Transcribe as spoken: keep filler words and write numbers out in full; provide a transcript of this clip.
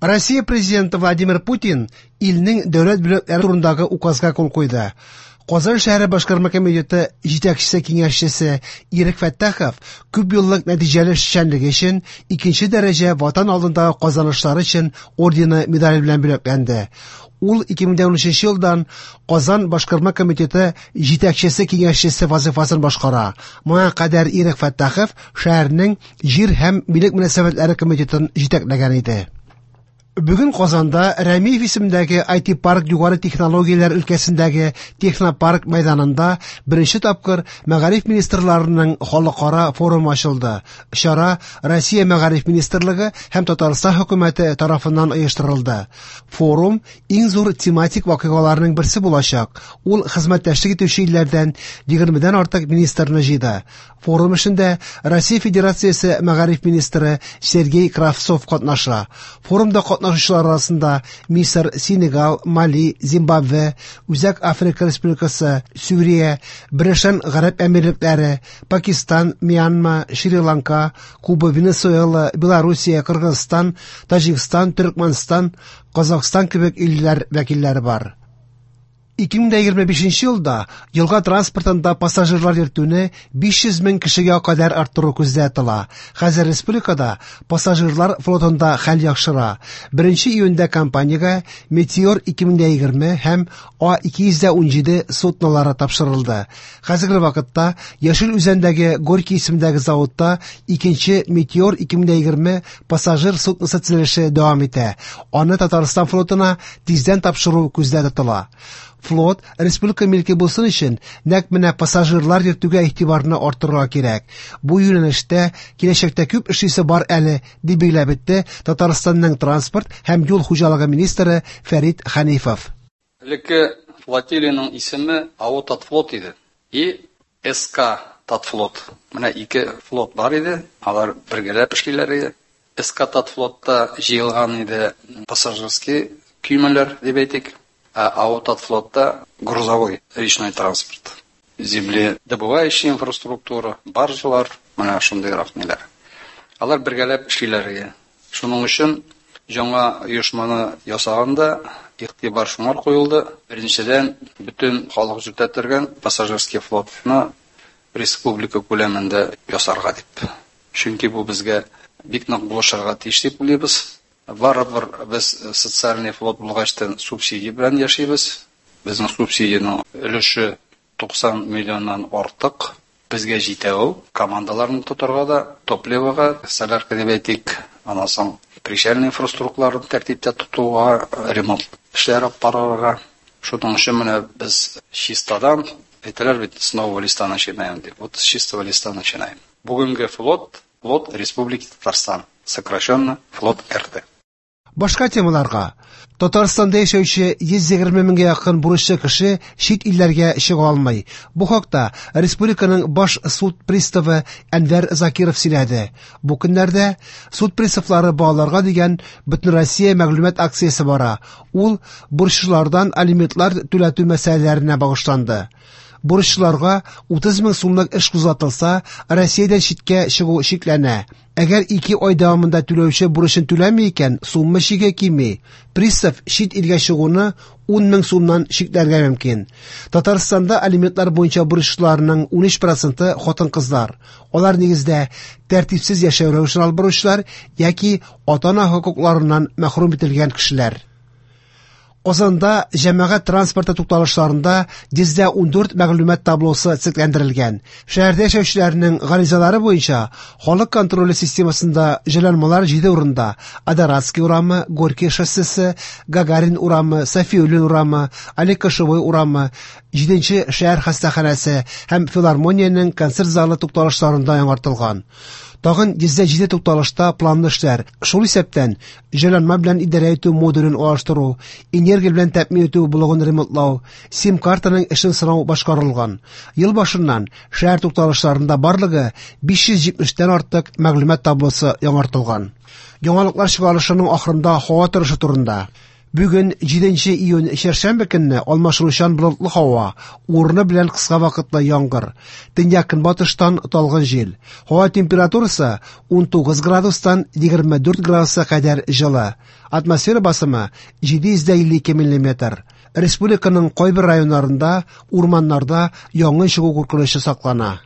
Россия президенты Владимир Путин илнең дәүләт бүләкләре турындагы указга кул куйды. Казан шәһәре башкарма комитеты җитәкчесе киңәшчесе Ирек Фәттахов күп еллык нәтиҗәле эшчәнлеге өчен икенче дәрәҗә Ватан алдындагы казанышлары өчен ордены медале белән бүләкләнде. Ул ике мең дә унөченче елдан Казан башкарма комитеты җитәкчесе киңәшчесе вазифасын башкара. Моңа кадәр Ирек Фәттахов шәһәрнең җир һәм милек мөнәсәбәтләре комитетын җитәкләгән иде. Бүген Казанда Рәмиев исемендәге ай ти парк югары технологияләр өлкәсендәге технопарк мәйданында беренче тапкыр мәгариф министрларының халыкара форумы ачылды. Чара Россия мәгариф министрлыгы һәм Татарстан хөкүмәте тарафыннан оештырылды. Форум иң зур тематик вакыйгаларның берсе булачак. Ул хезмәттәшлек итүче илләрдән егермедән артык министрны җыйды. Форум эшендә Россия Федерациясе мәгариф министры Сергей Кравцов катнаша. Форумда катнашучылар арасында Мисыр, Сенегал, Мали, Зимбабве, Үзәк Африка Республикасы, Сүрия, Берләшкән Гарәп Әмирлекләре, Пакистан, Мьянма, Шри-Ланка, Куба, Венесуэла, Белоруссия, Кыргызстан, Таҗикстан, Төркмәнстан, Казахстан кебек илләр вәкилләре бар. Ике мең дә егерме бишенче елда елга транспортында пассажирлар йөртүне биш йөз мең кешегә кадәр арттыру күздә тотыла. Хәзер республикада пассажирлар флотында хәл яхшыра. Беренче июньдә компаниягә Метеор ике мең дә егерме һәм А ике йөз дә унҗиде суднолары тапшырылды. Хәзерге вакытта Яшел Үзәндәге Горький исемендәге заводта икенче Метеор ике мең дә егерме пассажир судносы төзелеше дәвам итә. Аны Татарстан флотына тиздән тапшыру күздә тотыла. Флот республика милке булсын өчен нәкъ менә пассажирлар йөртүгә игътибарны арттырырга кирәк. Бу юнәлештә киләчәктә күп эшлисе бар әле, дип билгеләп үтте Татарстанның транспорт һәм юл хуҗалыгы министры Фәрит Хәнифов. Элекке флотилияның исеме АО Татфлот иде. И СК Татфлот. Менә ике флот бар иде, алар бергәләп эшлиләр иде. СК Татфлотта җыелган иде пассажирский көймәләр дип әйтик. А АО Татфлотта грузовой речной транспорт, земледобывающая инфраструктура, баржалар, менә шундыйрак ниләр. Алар бергәләп эшлиләр иде. Шуның өчен яңа оешманы ясаганда игътибар шуңар куелды. Беренчедән, бөтен халык йөртә торган пассажирский флотны республика күләмендә ясарга дип. Чөнки бу безгә бик нык булышырга тиеш дип уйлыйбыз. Барыбер без социальный флот булгачтан субсидия белән яшибез. Безнең субсидиянең өлеше туксан миллионнан артык. Безгә җитә ул. Командаларны тотарга да, топливога, солярка дип әйтик, аннан соң причальный инфраструктураларын тәртиптә тотуга, ремонт эшләре алып барырга. Шуның өчен менә без чистадан, әйтәләр бит, с нового листа начинаем дип. Вот с чистого листа начинаем. Бүгенге флот, флот Республики Татарстан, сокращенно флот эр тэ. Башка темаларга. Татарстанда яшәүче йөз егерме меңгә якын бурычлы кеше чит илләргә чыга алмый. Бу хакта республиканың баш суд приставы Әнвәр Закиров сөйләде. Бу көннәрдә суд приставлары балаларга дигән Бөтенроссия мәгълүмат акциясе бара. Ул бурычлылардан алиментлар түләтү мәсьәләләренә багышланды. Бурычлыларга утыз мең сумлык эш кузгатылса, Россиядән читкә чыгу чикләнә. Әгәр ике ай дәвамында түләүче бурычын түләми икән, сумма чиге кими. Пристав чит илгә чыгуны ун мең сумнан чикләргә мөмкин. Татарстанда алиментлар буенча бурычлыларның унөч проценты хатын-кызлар. Алар нигездә тәртипсез яшәү рәвешен алып баручылар яки ата-ана хокукларыннан мәхрүм ителгән кешеләр. Казанда җәмәгать транспорты тукталышларында йөздә ундүрт мәгълүмат таблосы цикләндерелгән. Шәһәрдә яшәүчеләрнең гаризалары буенча халык контроле системасында җайланмалар җиде урында: Адоратский урамы, Горький шоссесы, Гагарин урамы, Сафиуллин урамы, Олег Кошевой урамы, җиденче шәһәр хастаханәсе һәм филармониянең концерт залы тукталышларында яңартылган. Тагын йөздә җиде тукталышта планлы эшләр, шул исәптән җайланма белән идарә итү модулен алыштыру, энергия белән тәэмин итү блогын ремонтлау, сим-картаның эшен сынау башкарылган. Ел башыннан шәһәр тукталышларында барлыгы биш йөз җитмештән артык мәгълүмат таблосы яңартылган. Яңалыклар чыгарылышының ахырында һава торышы турында. Бүген җиденче июнь чәршәмбе көнне алмашынучан болытлы һава, урыны белән кыска вакытлы яңгыр. Төньяк-көнбатыштан талгын җил. Һава температурасы унтугыз градустан егерме дүрт градуска кадәр җылы. Атмосфера басымы җиде йөз илле ике миллиметр. Республиканың кайбер районнарында урманнарда янгын чыгу куркынычы саклана.